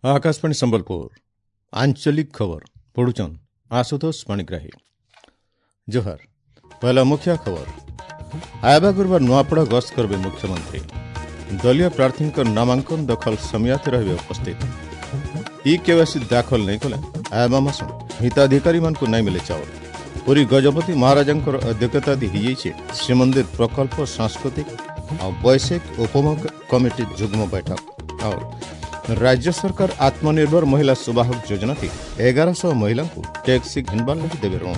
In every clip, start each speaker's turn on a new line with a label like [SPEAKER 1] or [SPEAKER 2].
[SPEAKER 1] Akashvani Sambalpur आंचलिक खबर पढ़ुचन आशुतोष पाणिग्राही। जोहार। पहला मुख्य खबर। आयबा गुरुवार नुआपड़ा गस्त करबे मुख्यमंत्री। दलीय प्रार्थी नामांकन दखल समियाते रहे उपस्थित। ई केवाईसी दाखल नहीं कले आयबा मास हिताधिकारी मानକୁ नहीं मिले चाउल। पुरी गजपति महाराजांकर अध्यक्षता ହେଇଯାଇଛି श्रीमंदिर प्रकल्प सांस्कृतिक और वैश्विक उपमुख कमिटी जुग्म बैठक। और राज्य सरकार आत्मनिर्भर महिला सुबाहक योजना थी 1100 महिला को टैक्सी घिनबार लगी देवे ऋण।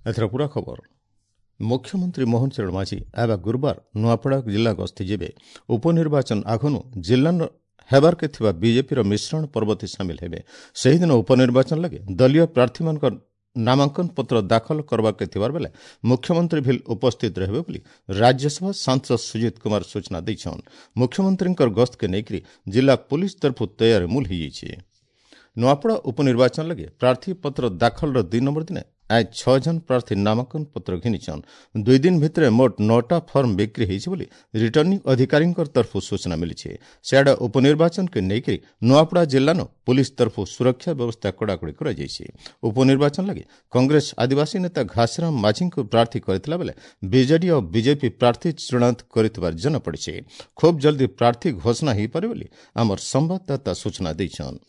[SPEAKER 1] एथर पूरा खबर। मुख्यमंत्री मोहन चरण माझी आबा गुरुवार नुआपड़ा जिला गस्ती जेबे। उपनिर्वाचन आघनु जिला हेबार के थिबा बीजेपी रो मिश्रण पर्वती शामिल हेबे। सेही दिन उपनिर्वाचन लगे दलीय प्रार्थी मानकर नामांकन पत्र दाखल करबाके थिबार बेले मुख्यमंत्री ଭିଲ उपस्थित रहबे बोली राज्यसभा सांसद सुजीत कुमार सूचना दैछन। मुख्यमंत्रींकर गस्त के नेकरी जिला पुलिस तरफु तैयारी मूल होइछि। नुआपड़ा उपनिर्वाचन लगे प्रार्थी पत्र दाखल रो 2 नंबर दिने आज 6 जन प्रार्थी नामांकन पत्र घिनिछन। 2 दिन भितरे मोट 9टा फर्म बिक्री होइछि बोली रिटर्निंग अधिकारींकर तरफु सूचना मिलिछि। सियाडे उपनिर्वाचन के नेकरी नुआपड़ा जिल्लानो पुलिस तरफु सुरक्षा व्यवस्था कड़ाकड़ी कराଯାଇଛି। उपनिर्वाचन लगे कांग्रेस आदिवासी नेता घासीराम माझीଙ୍କୁ प्रार्थी କରିଥିଲା ବେଲେ ବିଜେଡି और बीजेपी प्रार्थी चूड़ांत କରିଥିବାର ଜଣାପଡ଼ିଛି। खूब जल्दी प्रार्थी घोषणा ହେଇପାରେ ବୋଲି ଆମର ସମ୍ବାଦଦାତା ସୂଚନା ଦେଇଛନ୍।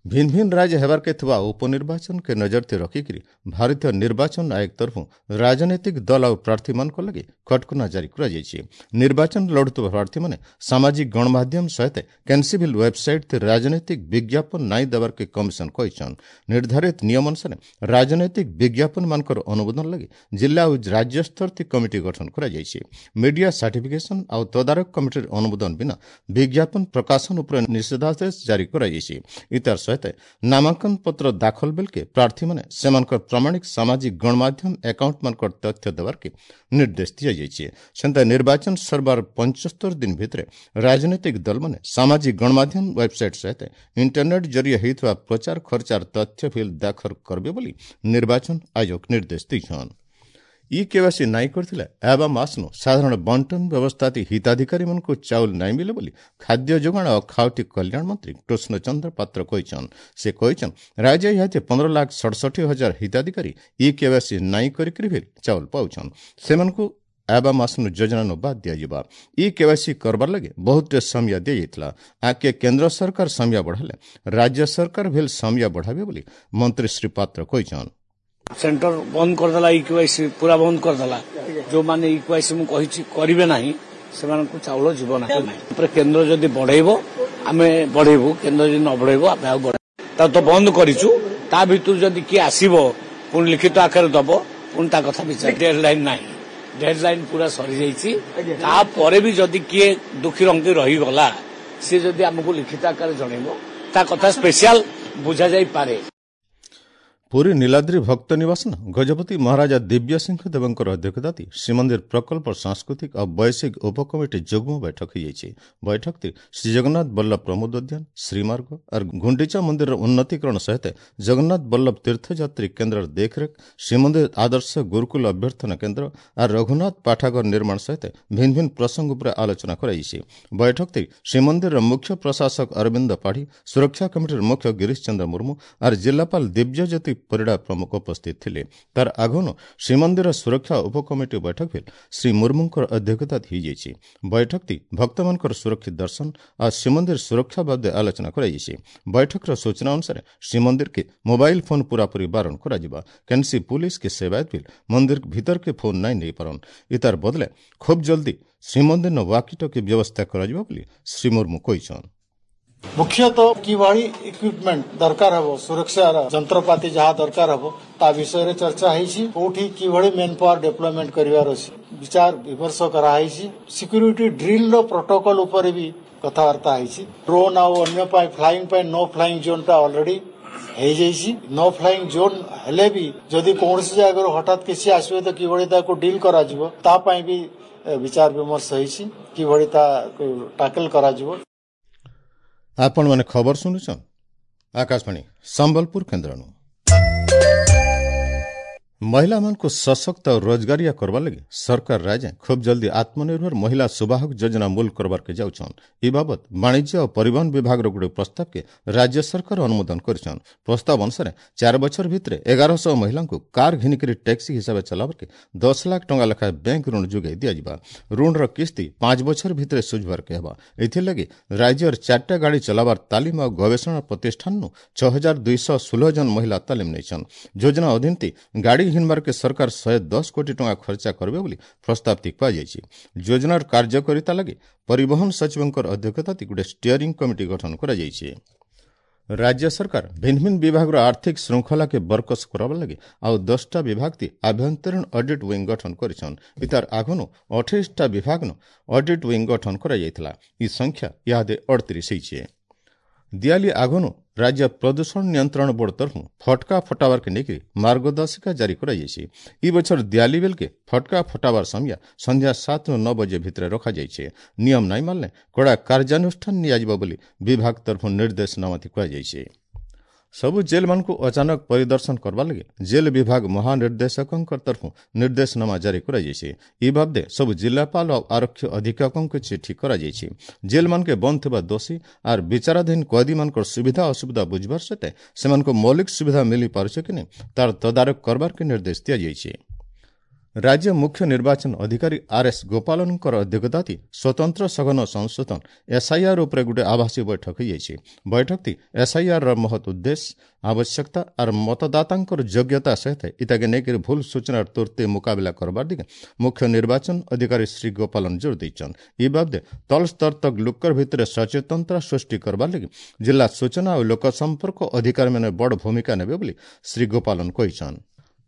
[SPEAKER 1] भिन्न भिन्न राज्य हेबार के थिबा उपनिर्वाचन के नजर ते रखिकरी भारतीय निर्वाचन आयोग तरफु राजनीतिक दल और प्रार्थी मानक लगे कटकना जारी कराଯାଇଛି। निर्वाचन लड़ुଥିବା प्रार्थी माने सामाजिक गणमाध्यम सहित कैनसिबिल वेबसाइट ते राजनीतिक विज्ञापन नाई देबार के कमिशन कहिछन। निर्धारित नियम अनुसार राजनीतिक विज्ञापन मानकर अनुमोदन लगे जिला और राज्य स्तर ते कमिटी गठन कराଯାଇଛି। मीडिया सर्टिफिकेशन और तदारक कमिटीर अनुमोदन बिना विज्ञापन प्रकाशन उपरे निषेधादेश जारी कराଯାଇଛି। इतार सहित नामांकन पत्र दाखल बेलके प्रार्थी माने सेमानकर प्रमाणिक सामाजिक गणमाध्यम अकाउंट मानकर तथ्य देबार के निर्देश दियाଯାଇଛି। सेंता निर्वाचन सरबार 75 दिन भितरे राजनीतिक दल माने सामाजिक गणमाध्यम वेबसाइट सहित इंटरनेट जरिए हेतुआ प्रचार खर्चार तथ्य फिल दाखल करबे बोली निर्वाचन आयोग निर्देश दिछन। ई केवाईसी नाई करथिले आबा मासनु साधारण बंटन व्यवस्थाति हिताधिकारी मानକୁ चाउल नाई मिले बोली खाद्य जोगाण और खाउटी कल्याण मंत्री कृष्णचंद्र पात्र कहिछन। से कहिछन राज्य इहाते 15,67,000 हिताधिकारी ई केवाईसी नाई करिकरि भी चाउल पाउछन। सेमानକୁ आबा मासनु योजना नु बाद दियाଯିବା। ई केवाईसी करबार लगे बहुत समय दियाଯାଇଥିଲା। आके केंद्र सरकार समय बढ़ाले राज्य सरकार भेल समय बढ़ाबे बोली मंत्री श्री पात्र कहिछन।
[SPEAKER 2] सेंटर बंद करदेला, ई केवाईसी पूरा बंद करदेला। जो माने ई केवाईसी मु कहिछि करिवे नाही सेमानकु चाउल जीव नाही। पर केंद्र जदि बढ़ेबो आमे बढ़ेबु, केंद्र जदि न बढ़ेबो आमे आ बढ़े ता तो बंद करिछु। ता भितर जदि कि आसीबो पुन लिखित आकार दबो पुन ता कथा विचार। डेडलाइन नाही, डेडलाइन पूरा सरी जाईछि। ता परे भी जदि किए दुखी रंगी रही गला से जदि आमकु लिखित आकार जणेबो ता कथा स्पेशल बुझा जाई पारे।
[SPEAKER 1] पुरी नीलाद्री भक्त निवास गजपति महाराजा दिव्य सिंह देवंकर अध्यक्षता श्रीमंदिर प्रकल्प सांस्कृतिक और वैश्विक उपकमिटी जुग्म बैठक ହେଇଯାଇଛି। बैठक श्री जगन्नाथ बल्लभ प्रमोद उद्यान श्रीमार्ग और गुंडीचा मंदिर उन्नतीकरण सहित जगन्नाथ बल्लभ तीर्थयात्री केंद्र देखरेख, श्रीमंदिर आदर्श गुरुकुल अभ्यर्थना केंद्र और रघुनाथ पाठागार निर्माण सहित भिन्न भिन्न प्रसंग उपरे आलोचना କରାଯାଇଛି। बैठक श्रीमंदिर मुख्य प्रशासक अरविंद पाढ़ी, सुरक्षा कमिटीर मुख्य गिरीश चंद्र मुर्मू और जिलापाल दिव्यज्योति परिड़ा प्रमुख उपस्थित ଥିଲେ। तार आघनु श्रीमंदिर सुरक्षा उपकमिटी बैठक भी श्री मुर्मूंकर अध्यक्षता ହେଇଯାଇଛି। बैठक भक्तमानकर सुरक्षित दर्शन और श्रीमंदिर सुरक्षा बाबद आलोचना କରାଯାଇଛି। बैठकर सूचना अनुसार श्रीमंदिर के मोबाइल फोन पूरापूरी बारण କରାଯିବା। केनसी पुलिस के सेवायत भी मंदिर भीतर के फोन नाई नेई पारन। इतार बदले खूब जल्दी श्रीमंदिर न वाकी टकी व्यवस्था କରାଯିବ ବୋଲି श्री मुर्मू କହିଛନ୍।
[SPEAKER 3] मुख्यतः किभଳି इक्विपमेंट दरकार हबो, सुरक्षार ଯନ୍ତ୍ରପାତି ଯାହା ଦରକାର ହବ ତା ବିଷୟରେ ଚର୍ଚ୍ଚା ହେଇଛି। କୋଉଠି କିଭଳି ମେନ୍ ପାୱାର ଡେଭଲପମେଣ୍ଟ କରିବାର ଅଛି ବିଚାର ବିମର୍ଶ କରାହେଇଛି। ସିକ୍ୟୁରିଟି ଡ୍ରିଲ ର ପ୍ରୋଟୋକଲ ଉପରେ ବି କଥାବାର୍ତ୍ତା ହେଇଛି। ଡ୍ରୋନ୍ ଆଉ ଅନ୍ୟ ପାଇଁ ଫ୍ଲାଇଂ ପାଇଁ ନୋ ଫ୍ଲାଇଂ ଜୋନ୍ ଟା ଅଲରେଡି ହେଇଯାଇଛି। ନୋ ଫ୍ଲାଇଂ ଜୋନ୍ ହେଲେ ବି ଯଦି କୌଣସି ଜାଗାରୁ ହଠାତ୍ କିଛି ଆସିବ ତ କିଭଳି ତାକୁ ଡିଲ୍ କରାଯିବ ତା ପାଇଁ ବି ବିଚାର ବିମର୍ଶ ହେଇଛି, କିଭଳି ତାକୁ ଟାକଲ କରାଯିବ।
[SPEAKER 1] ଆପଣମାନେ ଖବର ଶୁଣୁଛନ୍ ଆକାଶବାଣୀ ସମ୍ବଲପୁର କେନ୍ଦ୍ରନୁ। ମହିଳାମାନଙ୍କୁ ସଶକ୍ତ ଆଉ ରୋଜଗାରିଆ କରବାର୍ ଲାଗି ସରକାର ରାଜ୍ୟ ଖୁବ୍ ଜଲ୍ଦି ଆତ୍ମନିର୍ଭର ମହିଳା ସୁବାହକ ଯୋଜନା ମୂଲ କରବାର୍କେ ଯାଉଛନ୍। ଏ ବାବଦ ବାଣିଜ୍ୟ ଓ ପରିବହନ ବିଭାଗର ଗୋଟେ ପ୍ରସ୍ତାବକେ ରାଜ୍ୟ ସରକାର ଅନୁମୋଦନ କରିଛନ୍। ପ୍ରସ୍ତାବ ଅନୁସାରେ 4 ବଛର ଭିତରେ 1100 ମହିଳାଙ୍କୁ କାର୍ ଘିନିକରି ଟ୍ୟାକ୍ସି ହିସାବେ ଚଲାବାର୍କେ 10 ଲାଖ ଟଙ୍କା ଲେଖାଏଁ ବ୍ୟାଙ୍କ ଋଣ ଯୋଗାଇ ଦିଆଯିବା। ଋଣର କିସ୍ତି 5 ବଛର ଭିତରେ ସୁଝବାର୍କେ ହେବା। ଏଥିର୍ଲାଗି ରାଜ୍ୟର 4ଟା ଗାଡ଼ି ଚଲାବାର ତାଲିମ ଆଉ ଗବେଷଣା ପ୍ରତିଷ୍ଠାନୁ 6216 ଜଣ ମହିଳା ତାଲିମ ନେଇଛନ୍। ଯୋଜନା ଅଧୀନତି ଗାଡ଼ି ଘିନବାର୍କେ ସରକାର 110 କୋଟି ଟଙ୍କା ଖର୍ଚ୍ଚା କରିବେ ବୋଲି ପ୍ରସ୍ତାବଟି କୁହାଯାଇଛି। ଯୋଜନାର କାର୍ଯ୍ୟକାରିତା ଲାଗି ପରିବହନ ସଚିବଙ୍କର ଅଧ୍ୟକ୍ଷତାରେ ଗୋଟେ ଷ୍ଟିୟରିଂ କମିଟି ଗଠନ କରାଯାଇଛି। ରାଜ୍ୟ ସରକାର ଭିନ୍ନ ଭିନ୍ନ ବିଭାଗର ଆର୍ଥିକ ଶୃଙ୍ଖଳାକେ ବରକସ କରାବାର ଲାଗି ଆଉ 10ଟା ବିଭାଗତି ଆଭ୍ୟନ୍ତରୀଣ ଅଡିଟ୍ ୱିଙ୍ଗ ଗଠନ କରିଛନ୍। ଇତାର ଆଗନୁ 28ଟା ବିଭାଗନୁ ଅଡିଟ୍ ୱିଙ୍ଗ ଗଠନ କରାଯାଇଥିଲା। ଇ ସଂଖ୍ୟା ଇହାଦେ 38 ହେଇଛେ। ଦିଆଲି ଆଗନୁ ରାଜ୍ୟ ପ୍ରଦୂଷଣ ନିୟନ୍ତ୍ରଣ ବୋର୍ଡ ତରଫୁ ଫଟକା ଫଟାବାରକେ ନେଇକରି ମାର୍ଗଦର୍ଶିକା ଜାରି କରାଯାଇଛି। ଇ ବଛର ଦିଆଲି ବେଲକେ ଫଟକା ଫଟାବାର ସମୟ ସନ୍ଧ୍ୟା 7ରୁ 9 ବଜେ ଭିତରେ ରଖାଯାଇଛି। ନିୟମ ନାଇଁ ମାନିଲେ କଡ଼ା କାର୍ଯ୍ୟାନୁଷ୍ଠାନ ନିଆଯିବ ବୋଲି ବିଭାଗ ତରଫୁ ନିର୍ଦ୍ଦେଶନାମାତି କୁହାଯାଇଛି। ସବୁ ଜେଲ୍ମାନଙ୍କୁ ଅଚାନକ ପରିଦର୍ଶନ କରବାର୍ ଲାଗି ଜେଲ୍ ବିଭାଗ ମହାନିର୍ଦ୍ଦେଶକଙ୍କ ତରଫୁ ନିର୍ଦ୍ଦେଶନାମା ଜାରି କରାଯାଇଛି। ଇ ବାବଦେ ସବୁ ଜିଲ୍ଲାପାଳ ଆଉ ଆରକ୍ଷୀ ଅଧୀକ୍ଷକଙ୍କୁ ଚିଠି କରାଯାଇଛି। ଜେଲ୍ମାନକେ ବନ୍ଦ ଥିବା ଦୋଷୀ ଆର୍ ବିଚାରାଧୀନ କଏଦୀମାନଙ୍କର ସୁବିଧା ଅସୁବିଧା ବୁଝବାର ସହିତ ସେମାନଙ୍କୁ ମୌଳିକ ସୁବିଧା ମିଳିପାରୁছে କି ନାଇଁ ତାର ତଦାରଖ କରବାର୍କେ ନିର୍ଦ୍ଦେଶ ଦିଆଯାଇଛି। ରାଜ୍ୟ ମୁଖ୍ୟ ନିର୍ବାଚନ ଅଧିକାରୀ ଆର୍ ଏସ୍ ଗୋପାଳନଙ୍କର ଅଧ୍ୟକ୍ଷତାରେ ସ୍ୱତନ୍ତ୍ର ସଘନ ସଂଶୋଧନ ଏସ୍ଆଇଆର୍ ଉପରେ ଗୋଟେ ଆଭାସୀ ବୈଠକ ହୋଇଯାଇଛି। ବୈଠକଟି ଏସ୍ଆଇଆର୍ର ମହତ୍ ଉଦ୍ଦେଶ୍ୟ, ଆବଶ୍ୟକତା ଆର୍ ମତଦାତାଙ୍କର ଯୋଗ୍ୟତା ସହିତ ଇତାକେ ନେଇକରି ଭୁଲ ସୂଚନାର ତୁର୍ତେ ମୁକାବିଲା କରବାର ଦିଗେ ମୁଖ୍ୟ ନିର୍ବାଚନ ଅଧିକାରୀ ଶ୍ରୀ ଗୋପାଳନ ଜୋର ଦେଇଛନ୍। ଇ ବାବଦେ ତଳ ସ୍ତର ତକ୍ ଲୋକର ଭିତରେ ସଚେତନତା ସୃଷ୍ଟି କରବାର ଲାଗି ଜିଲ୍ଲା ସୂଚନା ଓ ଲୋକସମ୍ପର୍କ ଅଧିକାରୀମାନେ ବଡ଼ ଭୂମିକା ନେବେ ବୋଲି ଶ୍ରୀ ଗୋପାଳନ କହିଛନ୍।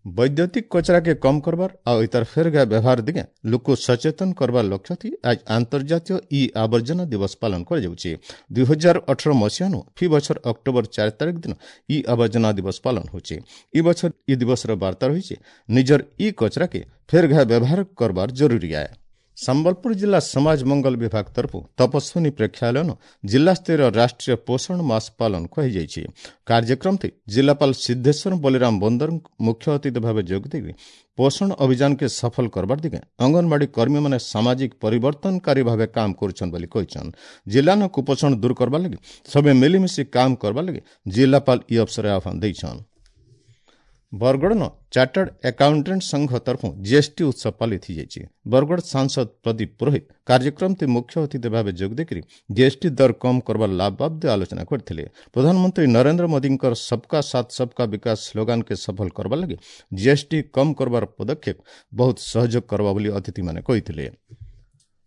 [SPEAKER 1] ବୈଦ୍ୟୁତିକ କଚରାକେ କମ୍ କରବାର ଆଉ ଇତାର ଫେରଗା ବ୍ୟବହାର ଦିଗେ ଲୋକ ସଚେତନ କରବାର ଲକ୍ଷ୍ୟ ଥି ଆଜ ଆନ୍ତର୍ଜାତୀୟ ଇ ଆବର୍ଜନା ଦିବସ ପାଳନ କରାଯାଉଛି। 2018 ମସିହାନୁ ଫି ବଛର ଅକ୍ଟୋବର 4 ତାରିଖ ଦିନ ଇ ଆବର୍ଜନା ଦିବସ ପାଳନ ହେଉଛି। ଇ ବଛର ଇ ଦିବସର ବାର୍ତ୍ତା ରହିଛି ନିଜର ଇ କଚରାକେ ଫେରଘା ବ୍ୟବହାର କରବାର ଜରୁରୀ ଆଏ। ସମ୍ବଲପୁର ଜିଲ୍ଲା ସମାଜ ମଙ୍ଗଳ ବିଭାଗ ତରଫୁ ତପସ୍ୱିନୀ ପ୍ରେକ୍ଷାଳୟନ ଜିଲ୍ଲାସ୍ତରୀୟ ରାଷ୍ଟ୍ରୀୟ ପୋଷଣ ମାସ ପାଳନ କରାଯାଇଛି। କାର୍ଯ୍ୟକ୍ରମଟି ଜିଲ୍ଲାପାଳ ସିଦ୍ଧେଶ୍ୱର ବଳିରାମ ବନ୍ଦର ମୁଖ୍ୟ ଅତିଥି ଭାବେ ଯୋଗ ଦେଇ ପୋଷଣ ଅଭିଯାନକେ ସଫଳ କରବାର ଦିଗେ ଅଙ୍ଗନବାଡ଼ି କର୍ମୀମାନେ ସାମାଜିକ ପରିବର୍ତ୍ତନକାରୀ ଭାବେ କାମ କରୁଛନ୍ ବୋଲି କହିଛନ୍। ଜିଲ୍ଲାନ କୁପୋଷଣ ଦୂର କରବାର ଲାଗି ସବେ ମିଳିମିଶି କାମ କରବାର ଲାଗି ଜିଲ୍ଲାପାଳ ଇ ଅବସରରେ ଆହ୍ୱାନ ଦେଇଛନ୍। ବରଗଡ଼ନ ଚାର୍ଟାର୍ଡ ଆକାଉଣ୍ଟାଣ୍ଟ ସଂଘ ତରଫୁ ଜିଏସ୍ଟି ଉତ୍ସବ ପାଳିତ ହୋଇଯାଇଛି। ବରଗଡ଼ ସାଂସଦ ପ୍ରଦୀପ ପୁରୋହିତ କାର୍ଯ୍ୟକ୍ରମଟି ମୁଖ୍ୟ ଅତିଥି ଭାବେ ଯୋଗ ଦେଇକରି ଜିଏସ୍ଟି ଦର କମ୍ କରବାର ଲାଭ ବାବଦେ ଆଲୋଚନା କରିଥିଲେ। ପ୍ରଧାନମନ୍ତ୍ରୀ ନରେନ୍ଦ୍ର ମୋଦିଙ୍କର ସବକା ସାଥ ସବକା ବିକାଶ ସ୍ଲୋଗାନକେ ସଫଳ କରବାର ଲାଗି ଜିଏସ୍ଟି କମ୍ କରବାର ପଦକ୍ଷେପ ବହୁତ ସହଯୋଗ କରବା ବୋଲି ଅତିଥିମାନେ କହିଥିଲେ।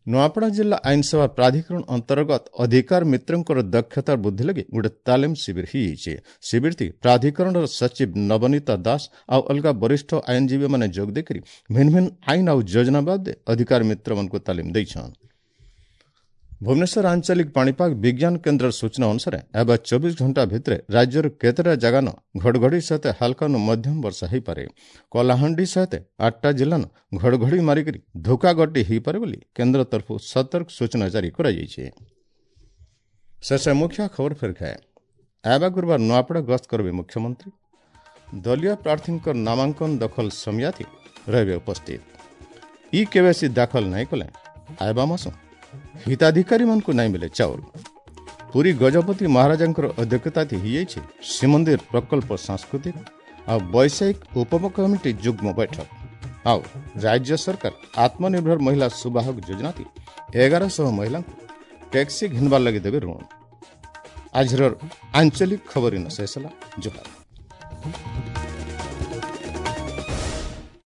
[SPEAKER 1] ନୂଆପଡ଼ା ଜିଲ୍ଲା ଆଇନସେବା ପ୍ରାଧିକରଣ ଅନ୍ତର୍ଗତ ଅଧିକାର ମିତ୍ରଙ୍କର ଦକ୍ଷତା ବୃଦ୍ଧି ଲାଗି ଗୋଟେ ତାଲିମ ଶିବିର ହୋଇଯାଇଛି। ଶିବିରଟି ପ୍ରାଧିକରଣର ସଚିବ ନବନୀତା ଦାସ ଆଉ ଅଲଗା ବରିଷ୍ଠ ଆଇନଜୀବୀମାନେ ଯୋଗ ଦେଇକରି ଭିନ୍ନ ଭିନ୍ନ ଆଇନ ଆଉ ଯୋଜନା ବାବଦେ ଅଧିକାର ମିତ୍ରମାନଙ୍କୁ ତାଲିମ ଦେଇଛନ୍। ଭୁବନେଶ୍ୱର ଆଞ୍ଚଳିକ ପାଣିପାଗ ବିଜ୍ଞାନ କେନ୍ଦ୍ରର ସୂଚନା ଅନୁସାରେ ଏବେ 24 ଘଣ୍ଟା ଭିତରେ ରାଜ୍ୟର କେତେଟା ଜାଗାନ ଘଡ଼ଘଡ଼ି ସହିତ ହାଲକାନୁ ମଧ୍ୟମ ବର୍ଷା ହୋଇପାରେ। କଳାହାଣ୍ଡି ସହିତ 8ଟା ଜିଲ୍ଲାନ ଘଡ଼ଘଡ଼ି ମାରିକରି ଧୋକାଗଟି ହୋଇପାରେ ବୋଲି କେନ୍ଦ୍ର ତରଫରୁ ସତର୍କ ସୂଚନା ଜାରି କରାଯାଇଛି। ଶେଷ ମୁଖ୍ୟ ଖବର ଫେର ଖାଏ। ଆଇବା ଗୁରୁବାର ନୂଆପଡ଼ା ଗସ୍ତ କରିବେ ମୁଖ୍ୟମନ୍ତ୍ରୀ। ଦଳୀୟ ପ୍ରାର୍ଥୀଙ୍କ ନାମାଙ୍କନ ଦଖଲ ସମୟାଥି ରହିବେ ଉପସ୍ଥିତ। ଇ କେୱାଇସି ଦାଖଲ ନାଇଁ କଲେ ଆଇବା ମାସ ହିତାଧିକାରୀମାନଙ୍କୁ ନାଇଁ ମିଲେ ଚାଉଳ। ପୁରୀ ଗଜପତି ମହାରାଜାଙ୍କର ଅଧ୍ୟକ୍ଷତାରେ ହୋଇଯାଇଛି ଶ୍ରୀମନ୍ଦିର ପ୍ରକଳ୍ପ ସାଂସ୍କୃତିକ ଆଉ ବୈଷୟିକ ଉପକମିଟି ଯୁଗ୍ମ ବୈଠକ। ଆଉ ରାଜ୍ୟ ସରକାର ଆତ୍ମନିର୍ଭର ମହିଳା ସୁବାହକ ଯୋଜନାଟି 1100 ମହିଳାଙ୍କୁ ଟ୍ୟାକ୍ସି ଘିନବାର ଲାଗି ଦେବେ ଋଣ। ଆଜିର ଆଞ୍ଚଳିକ ଖବର ଇନ ଶେଷ ହେଲା। ଜୁହାର।